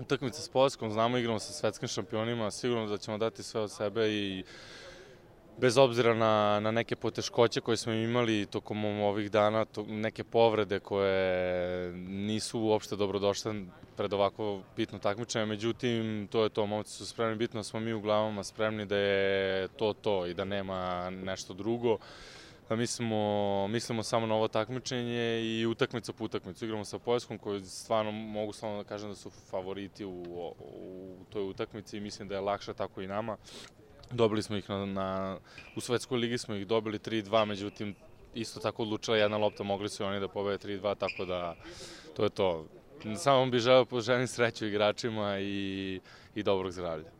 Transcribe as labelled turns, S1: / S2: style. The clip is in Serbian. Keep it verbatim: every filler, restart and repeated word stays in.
S1: utakmica s Poljskom, znamo igramo sa svetskim šampionima, sigurno da ćemo dati sve od sebe i bez obzira na, na neke poteškoće koje smo imali tokom ovih dana, to, neke povrede koje nisu uopšte dobrodošle pred ovako bitno takmičenje, međutim, to je to, momci su spremni, bitno smo mi u glavama spremni da je to to i da nema nešto drugo. Da mislimo, mislimo samo na ovo takmičenje i utakmica po utakmicu. Igramo sa Poljskom koji stvarno mogu samo da kažem da su favoriti u, u toj utakmici i mislim da je lakše tako i nama. Dobili smo ih na, na, u Svetskoj ligi smo ih dobili tri dva, međutim isto tako odlučila jedna lopta, mogli su i oni da pobede tri dva, tako da to je to. Samo bih želeo poželim sreću igračima i, i dobrog zdravlja.